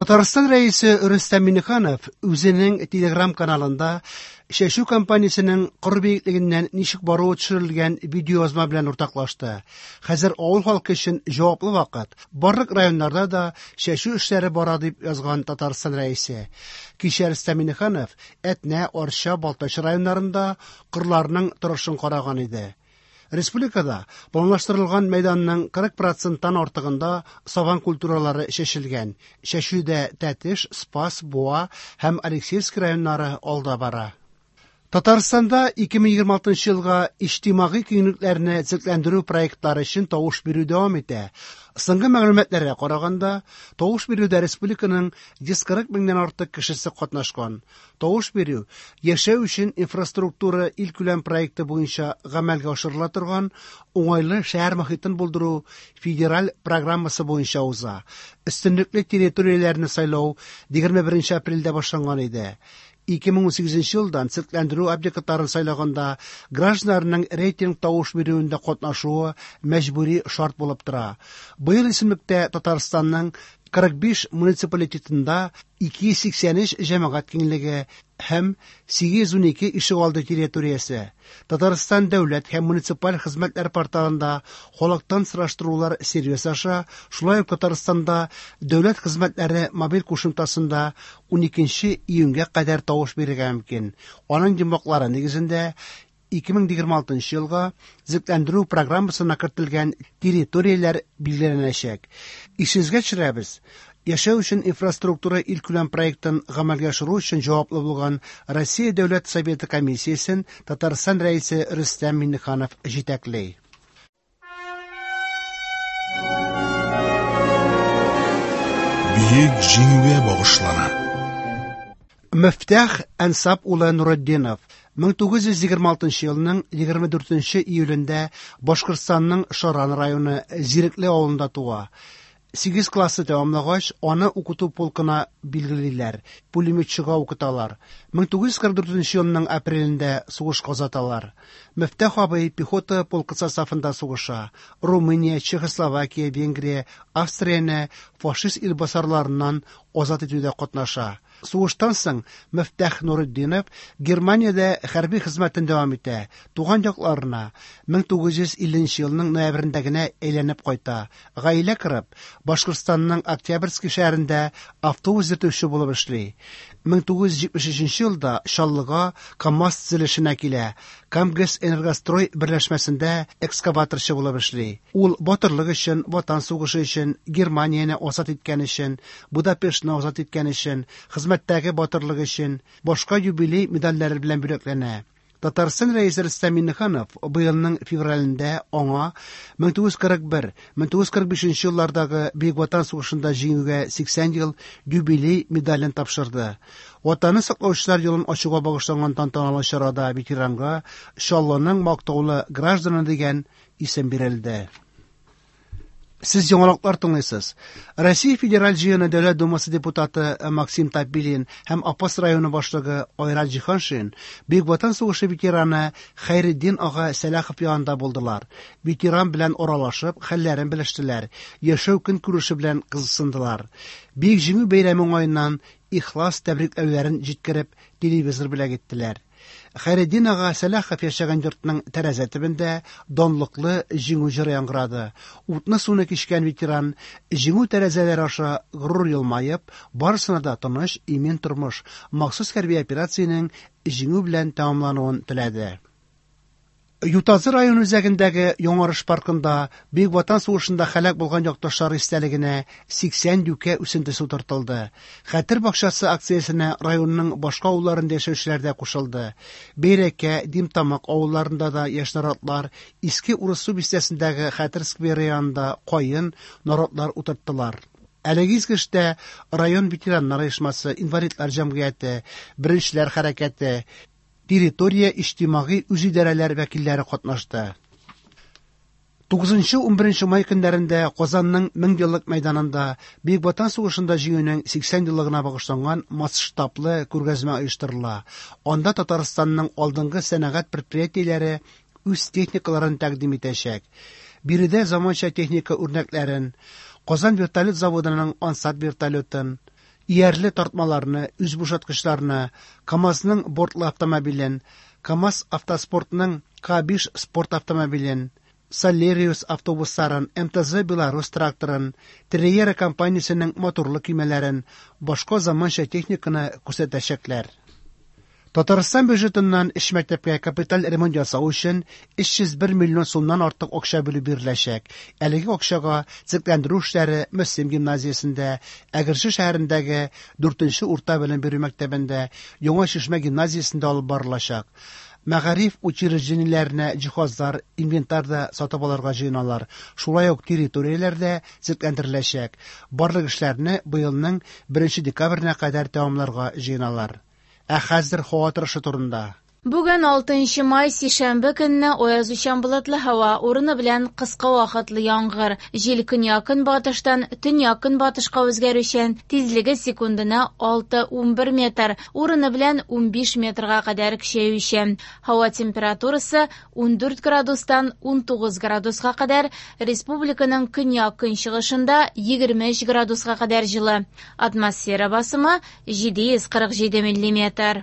Татарстан Рәисе Рөстәм Миңнеханов үзенең Телеграм-каналында чәчү кампаниясенең кыр биеклегеннән ничек баруы төшерелгән видеоязма белән уртаклашты. Хәзер авыл халкы өчен җаваплы вакыт. Барлык районнарда да чәчү эшләре бара, дип язган Татарстан Рәисе. Кичә Рөстәм Миңнеханов Әтнә, Арча, Балтач районнарында кырларның торышын караган иде. Республикада планлаштырылган мәйданның 40 проценттан артыгында сабан культуралары чәчелгән. Чәчүдә Тәтеш, Спас, Буа һәм Алексеевск районнары алда бара. Татарстанда 2026 елга иҗтимагый киңлекләрне төзекләндерү проектлары өчен тавыш бирү дәвам итә. Соңгы мәгълүматларга караганда, тавыш бирүдә республиканың 140 меңнән артык кешесе катнашкан. Тавыш бирү Яшәү өчен инфраструктура илкүләм проекты буенча гамәлгә ашырыла торган Уңайлы шәһәр мохитен булдыру федераль программасы буенча уза. Өстенлекле территорияләрне сайлау 21 апрельдә башланган иде. 2018 елдан төзекләндерү объектларын сайлаганда гражданнарның рейтинг тавыш бирүендә катнашуы мәҗбүри шарт булып тора. Быел исемлектә Татарстанның 45 муниципалитетында 283 җәмәгать киңлеге һәм 812 ишегалды территориясе. Татарстан дәүләт һәм муниципаль хезмәтләр порталында халыктан сораштырулар сервисы аша, шулай ук Татарстанда дәүләт хезмәтләре мобиль кушымтасында 12 июньгә кадәр тавыш бирергә мөмкин. Аның йомгаклары нигезендә 2026 елга төзекләндерү программасына кертелгән территорияләр билгеләнәчәк. Исегезгә төшерәбез, Яшәү өчен инфраструктура илкүләм проектын гамәлгә ашыру өчен җаваплы булган Россия Дәүләт Советы комиссиясен Татарстан Рәисе Рөстәм Миңнеханов җитәкли. Бөек Җиңүгә багышлана. Мөфтәх Әнсап улы Нуретдинов 1926 елның 24 июлендә Башкортстанның Шаран районы Зирекле авылында туа. Сигез классны тәмамлагач, аны укыту полкына билгелиләр, пулеметчыга укыталар. 1944 елның апрелендә сугышка озаталар. Мөфтәх абый пехота полкы составында сугыша. Румыния, Чехословакия, Венгрия, Австрияне фашист илбасарларыннан азат итүдә катнаша. Сугыштан соң Мөфтәх Нуретдинов Германиядә хәрби хезмәтен дәвам итә, туган якларына 1950 елның ноябрендә генә әйләнеп кайта. Гаилә корып, Башкортстанның Октябрьский шәһәрендә автобус йөртүче булып эшли. 1973 елда Чаллыга КАМАЗ төзелешенә килә, Камгэсэнергострой берләшмәсендә экскаваторчы булып эшли. Ул батырлык өчен, Ватан сугышы өчен, Германияне азат иткән өчен, Будапештны азат иткән өчен, Хезмәттәге батырлык өчен, башка юбилей медальләре белән бүләкләнә. Татарстан Рәисе Рөстәм Миңнеханов быелның февралендә аңа 1941-1945 еллардагы Бөек Ватан сугышында җиңүгә 80 ел юбилей медален тапшырды. Ватанны саклаучылар елын ачуга багышланган тантаналы чарада ветеранга Чаллының мактаулы гражданы дигән исем бирелде. Сез яңалыклар тыңлыйсыз. Россия Федераль Җыены Дәүләт Думасы депутаты Максим Топилин һәм Апас районы башлыгы Айрат Җиһаншин Бөек Ватан сугышы ветераны Хәйретдин ага Сәлахов янында булдылар. Ветеран белән аралашып, хәлләрен белештеләр, яшәү көнкүреше белән кызыксындылар. Бөек Җиңү бәйрәме уңаеннан ихлас тәбрикләүләрен җиткереп, телевизор бүләк иттеләр. Хәйретдин ага Сәлахов яшәгән йортның тәрәзә төбендә данлыклы Җиңү җыры яңгырады. Утны-суны кичкән ветеран Җиңү тәрәзәләре аша горур елмаеп, барысына да тыныч, имин тормыш, махсус хәрби операциянең җиңү белән тәмамлануын теләде. Ютазы районы үзәгендәге Яңарыш паркында Бөек Ватан сугышында һәлак булган якташлар истәлегенә 80 юкә үсентесе утыртылды. Хәтер бакчасы акциясенә районның башка авылларында яшәүчеләр дә кушылды. Бәйрәкә, Димтамак авылларында да яшь наратлар, Иске Урыссу бистәсендәге Хәтер скверы янында каен, наратлар утырттылар. Әлеге изге эштә район ветераннар оешмасы, инвалидлар җәмгыяте, Беренчеләр хәрәкәте, территория иҗтимагый үзидарәләр вәкилләре катнашты. 9-11 май көннәрендә Казанның Меңьеллык мәйданында Бөек Ватан сугышында җиңүнең 80 еллыгына багышланган масштаблы күргәзмә оештырыла. Анда Татарстанның алдынгы сәнәгать предприятиеләре үз техникаларын тәкъдим итәчәк. Биредә заманча техника үрнәкләрен, Казан вертолет заводының Ансат вертолетын, Иярле тартмаларны, үзбушаткычларны, КАМАЗның бортлы автомобилен, КАМАЗ Автоспортның К5 спорт автомобилен, Солериус автобусларын, МТЗ Беларусь тракторын, Триера компаниясенең моторлы көймәләрен, башка заманча техниканы күрсәтәчәкләр. Татарстан бюджетыннан өч мәктәпкә капиталь ремонт ясау өчен 301 миллион сумнан артык акча бүлеп биреләчәк. Әлеге акчага төзекләндерү эшләре Мөслим гимназиясендә, Әгерҗе шәһәрендәге 4 урта белем бирү мәктәбендә, Яңа Чишмә гимназиясендә алып барылачак. Мәгариф учреждениеләренә җиһазлар, инвентарь да сатып алырга җыеналар. Шулай ук территорияләр дә төзекләндереләчәк. Барлык эшләрне быелның 1 декабренә кадәр тәмамларга җыеналар. Ә хәзер һава торышы турында. Бүген 6 май сишәмбе көнне аязучан болытлы һава, урыны белән кыска вакытлы яңгыр. Җил көньяк-көнбатыштан төньяк-көнбатышка үзгәрүчән, тизлеге секундына 6-11 метр, урыны белән 15 метрга кадәр көчәючән. Һава температурасы 14 градустан 19 градуска кадәр, республиканың көньяк-көнчыгышында 23 градуска кадәр җылы. Атмосфера басымы 747 миллиметр.